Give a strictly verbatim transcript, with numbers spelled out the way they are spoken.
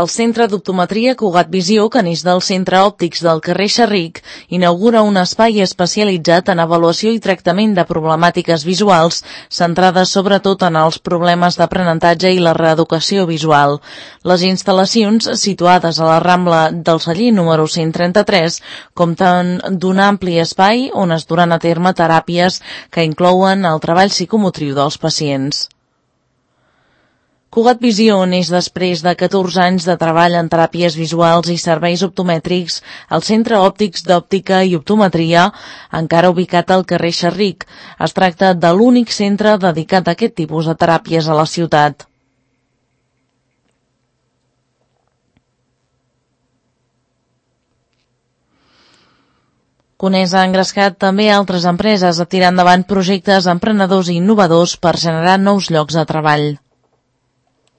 El Centre d'Optometria Cugat Visió, que neix del Centre Òptics del carrer Xerric, inaugura un espai especialitzat en avaluació i tractament de problemàtiques visuals, centrades sobretot en els problemes d'aprenentatge i la reeducació visual. Les instal·lacions, situades a la Rambla del Celler número cent trenta-tres, compten d'un ampli espai on es duran a terme teràpies que inclouen el treball psicomotriu dels pacients. Cugat Visió neix després de catorze anys de treball en teràpies visuals i serveis optomètrics al Centre Òptics d'Òptica i Optometria, encara ubicat al carrer Xerric. Es tracta de l'únic centre dedicat a aquest tipus de teràpies a la ciutat. Conesa ha engrescat també altres empreses a tirar endavant projectes emprenedors i innovadors per generar nous llocs de treball.